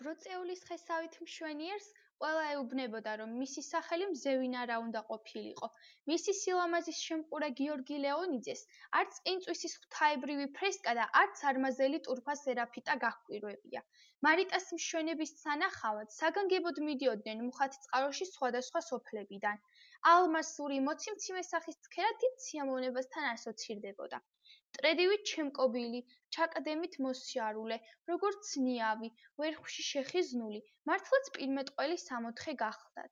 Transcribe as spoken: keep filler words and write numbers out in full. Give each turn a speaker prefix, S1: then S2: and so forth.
S1: ბროწეულის ხესავით მშვენიერს ყველა ეუბნებოდა, რომ მისი სახელი მზევინ არა უნდა ყოფილიყო. მისი სილამაზის შემყურე გიორგი ლეონიძეს არც ყინწვისის ღვთაებრივი ფრესკა და არც არმაზელი ტურფა სერაფიტა გაჰკვირვებია. მარიტას მშვენების სანახავად საგანგებოდ მიდიოდნენ მუხათწყაროში სხვადასხვა სოფლებიდან. ალმასური მოციმციმე სახის ცქერა დიდ სიამოვნებასთან ასოცირდებოდა. მტრედივით შემკობილი, ჩაკდემით მოსიარულე, როგორც ნიავი, ვერხვში შეხიზნული, მართლაც პირმეტყველი სამოთხე გახლდათ.